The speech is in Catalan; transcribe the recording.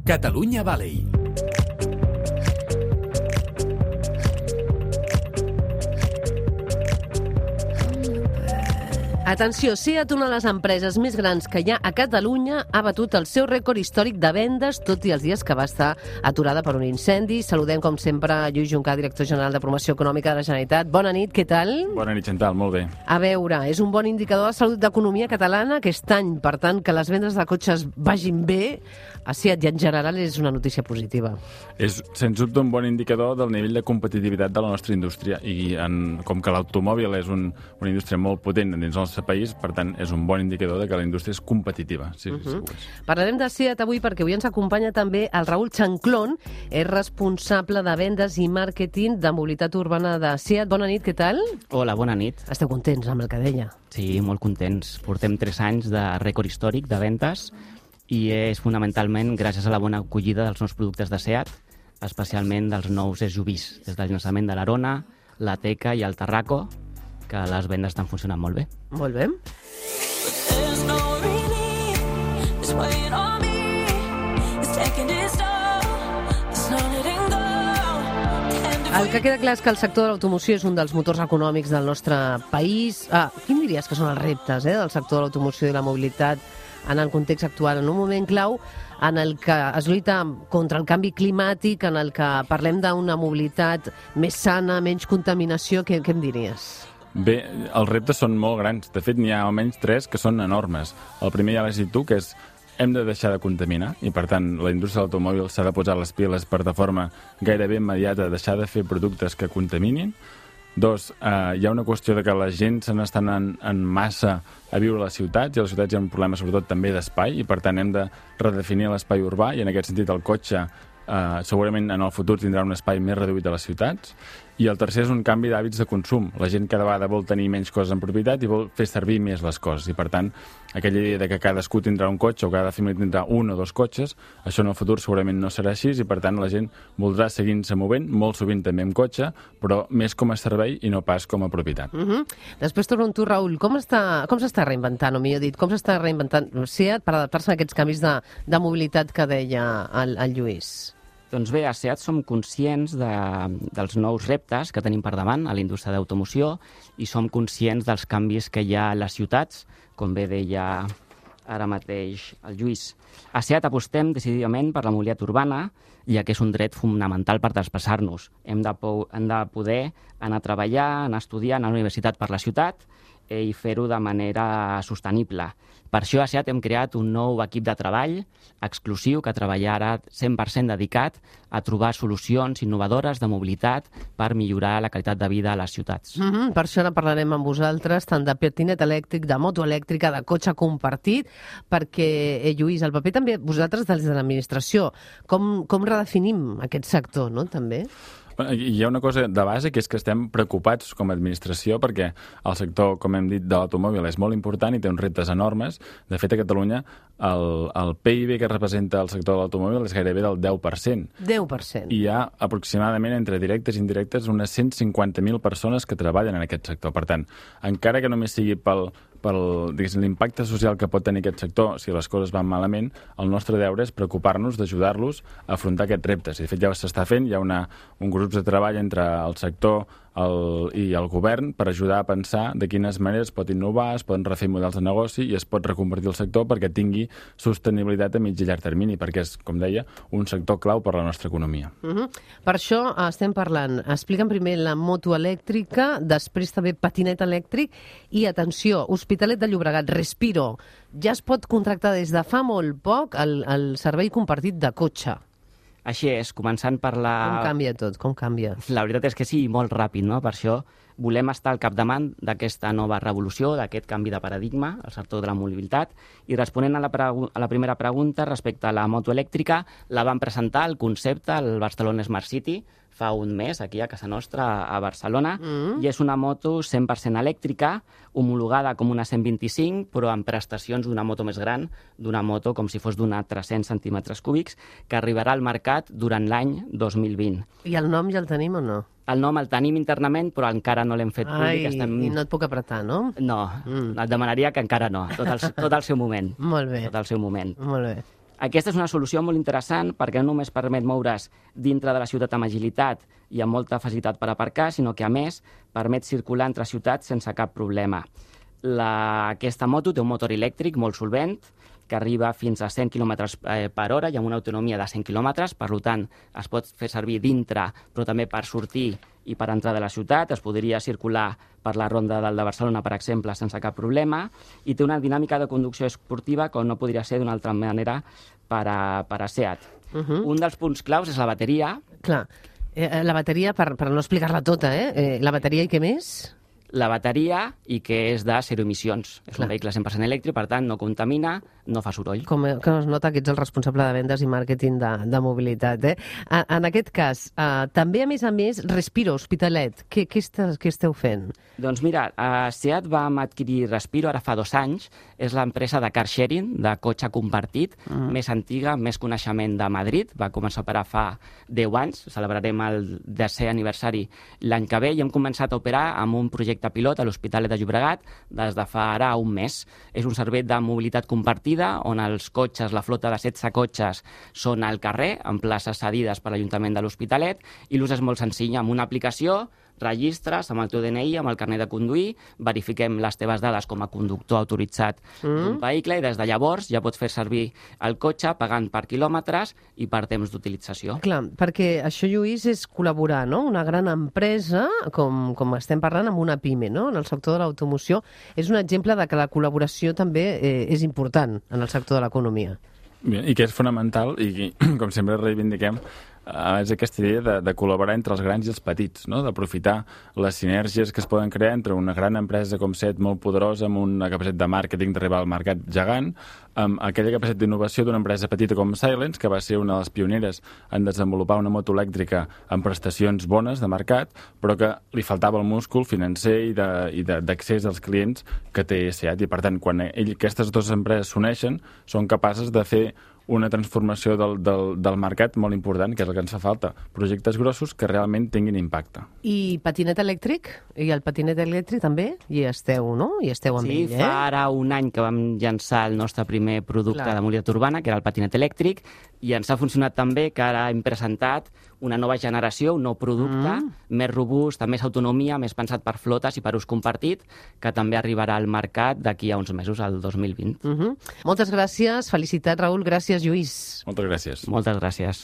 Catalunya Valley. Atenció, SEAT, una de les empreses més grans que hi ha a Catalunya, ha batut el seu rècord històric de vendes, tot i els dies que va estar aturada per un incendi. Saludem, com sempre, Lluís Juncà, director general de Promoció Econòmica de la Generalitat. Bona nit, què tal? Bona nit, Chantal, molt bé. A veure, és un bon indicador de salut d'economia catalana aquest any. Per tant, que les vendes de cotxes vagin bé, a SEAT i en general és una notícia positiva. És, sens dubte, un bon indicador del nivell de competitivitat de la nostra indústria i com que l'automòbil és una indústria molt potent dins el nostre país, per tant, és un bon indicador de que la indústria és competitiva. Sí, sí, Parlarem de SEAT avui perquè avui ens acompanya també el Raül Chanclón, és responsable de vendes i màrqueting de mobilitat urbana de SEAT. Bona nit, què tal? Hola, bona nit. Esteu contents amb el que deia? Sí, molt contents. Portem 3 anys de rècord històric de ventes i és fonamentalment gràcies a la bona acollida dels nous productes de SEAT, especialment dels nous SUVs, des del llançament de l'Arona, la Teca i el Tarraco, que les vendes estan funcionant molt bé. Molt bé. El que queda clar és que el sector de l'automoció és un dels motors econòmics del nostre país. Quin diries que són els reptes del sector de l'automoció i la mobilitat en el context actual, en un moment clau en el que es lluita contra el canvi climàtic, en el que parlem d'una mobilitat més sana, menys contaminació, què em diries? Bé, els reptes són molt grans. De fet, n'hi ha almenys 3 que són enormes. El primer ja l'has dit tu, que és hem de deixar de contaminar i, per tant, la indústria de l'automòbil s'ha de posar les piles per de forma gairebé immediata, deixar de fer productes que contaminin. 2, hi ha una qüestió de que la gent se n'està anant en massa a viure a les ciutats, i a les ciutats hi ha un problema sobretot també d'espai, i per tant hem de redefinir l'espai urbà, i en aquest sentit el cotxe segurament en el futur tindrà un espai més reduït a les ciutats. I el tercer és un canvi d'hàbits de consum. La gent cada vegada vol tenir menys coses en propietat i vol fer servir més les coses. I per tant, aquella idea de que cadascú tindrà un cotxe o cada família tindrà un o 2 cotxes, això en el futur segurament no serà així i per tant la gent voldrà seguir-se movent, molt sovint també amb cotxe, però més com a servei i no pas com a propietat. Després torno amb tu, Raül. Com s'està reinventant, o millor dit, com s'està reinventant SEAT per adaptar-se a aquests canvis de mobilitat que deia el Lluís? Doncs bé, a SEAT som conscients dels nous reptes que tenim per davant a la indústria d'automoció i som conscients dels canvis que hi ha a les ciutats, com bé deia ara mateix el Lluís. A SEAT apostem decididament per la mobilitat urbana, ja que és un dret fonamental per desplaçar-nos. Hem de poder anar a treballar, anar a estudiar, anar a la universitat per la ciutat i fer-ho de manera sostenible. Per això a SEAT hem creat un nou equip de treball exclusiu que treballarà 100% dedicat a trobar solucions innovadores de mobilitat per millorar la qualitat de vida a les ciutats. Per això ara parlarem amb vosaltres tant de patinet elèctric, de moto elèctrica, de cotxe compartit, perquè, Lluís, el paper també vosaltres des de l'administració. Com redefinim aquest sector, no?, també? Hi ha una cosa de base, que és que estem preocupats com a administració perquè el sector, com hem dit, de l'automòbil és molt important i té uns reptes enormes. De fet, a Catalunya el PIB que representa el sector de l'automòbil és gairebé del 10%. 10%. I hi ha aproximadament, entre directes i indirectes, unes 150.000 persones que treballen en aquest sector. Per tant, encara que només sigui pel l'impacte social que pot tenir aquest sector si les coses van malament, el nostre deure és preocupar-nos d'ajudar-los a afrontar aquests reptes. I de fet ja s'està fent, hi ha un grup de treball entre el sector i el govern per ajudar a pensar de quines maneres es pot innovar, es poden refer models de negoci i es pot reconvertir el sector perquè tingui sostenibilitat a mig i llarg termini, perquè és, com deia, un sector clau per la nostra economia. Per això estem parlant. Explica'm primer la moto elèctrica, després també patinet elèctric i, atenció, Hospitalet de Llobregat, Respiro. Ja es pot contractar des de fa molt poc el servei compartit de cotxe. Així és, començant per la... Com canvia tot? Com canvia? La veritat és que sí, molt ràpid, no? Per això volem estar al capdavant d'aquesta nova revolució, d'aquest canvi de paradigma al sector de la mobilitat. I responent a la primera pregunta respecte a la moto elèctrica, la vam presentar el concepte al Barcelona Smart City fa un mes, aquí a casa nostra, a Barcelona, i és una moto 100% elèctrica, homologada com una 125, però amb prestacions d'una moto més gran, d'una moto com si fos d'una 300 centímetres cúbics, que arribarà al mercat durant l'any 2020. I el nom ja el tenim o no? El nom el tenim internament, però encara no l'hem fet públic. I no et puc apretar, no? No, et demanaria que encara no, tot al seu moment. Molt bé. Tot al seu moment. Molt bé. Aquesta és una solució molt interessant perquè no només permet moure's dintre de la ciutat amb agilitat i amb molta facilitat per aparcar, sinó que, a més, permet circular entre ciutats sense cap problema. Aquesta moto té un motor elèctric molt solvent, que arriba fins a 100 km per hora i amb una autonomia de 100 km, per tant, es pot fer servir dintre, però també per sortir i per entrar de la ciutat. Es podria circular per la Ronda del de Barcelona, per exemple, sense cap problema, i té una dinàmica de conducció esportiva com no podria ser d'una altra manera per a SEAT. Un dels punts claus és la bateria. Clar, la bateria, per no explicar-la tota, la bateria i què més? La bateria i que és de zero emissions. És un vehicle 100% elèctric, per tant, no contamina, no fa soroll. Com que es nota que ets el responsable de vendes i màrqueting de mobilitat. En aquest cas, també, a més, Respiro, Hospitalet. Què esteu fent? Doncs mira, SEAT vam adquirir Respiro ara fa 2 anys. És l'empresa de car sharing, de cotxe compartit, més antiga, més coneixement de Madrid. Va començar a operar fa 10 anys. Celebrarem el 10è aniversari l'any que ve i hem començat a operar amb un projecte pilot a l'Hospitalet de Llobregat des de fa ara un mes. És un servei de mobilitat compartida on els cotxes, la flota de 16 cotxes, són al carrer, en places cedides per l'Ajuntament de l'Hospitalet, i l'ús és molt senzill. Amb una aplicació registres amb el teu DNI, amb el carnet de conduir, verifiquem les teves dades com a conductor autoritzat d'un vehicle i des de llavors ja pots fer servir el cotxe pagant per quilòmetres i per temps d'utilització. Clar, perquè això, Lluís, és col·laborar, no? Una gran empresa, com estem parlant, amb una PIME, no? En el sector de l'automoció. És un exemple de que la col·laboració també és important en el sector de l'economia. I que és fonamental i, com sempre reivindiquem, és aquesta idea de col·laborar entre els grans i els petits, no? D'aprofitar les sinergies que es poden crear entre una gran empresa com SEAT, molt poderosa, amb una capacitat de màrqueting d'arribar al mercat gegant, amb aquella capacitat d'innovació d'una empresa petita com Silence, que va ser una de les pioneres en desenvolupar una moto elèctrica amb prestacions bones de mercat, però que li faltava el múscul financer i d'accés als clients que té SEAT. I, per tant, quan aquestes dues empreses s'uneixen, són capaces de fer una transformació del mercat molt important, que és el que ens fa falta. Projectes grossos que realment tinguin impacte. I patinet elèctric? I el patinet elèctric també? Hi esteu, no? Hi esteu amb ell, Sí, fa ara un any que vam llançar el nostre primer producte de mobilitat urbana, que era el patinet elèctric, i ens ha funcionat també que ara hem presentat una nova generació, un nou producte, més robust, amb més autonomia, més pensat per flotes i per ús compartit, que també arribarà al mercat d'aquí a uns mesos, al 2020. Moltes gràcies, felicitats, Raül, gràcies, Lluís. Moltes gràcies. Moltes gràcies.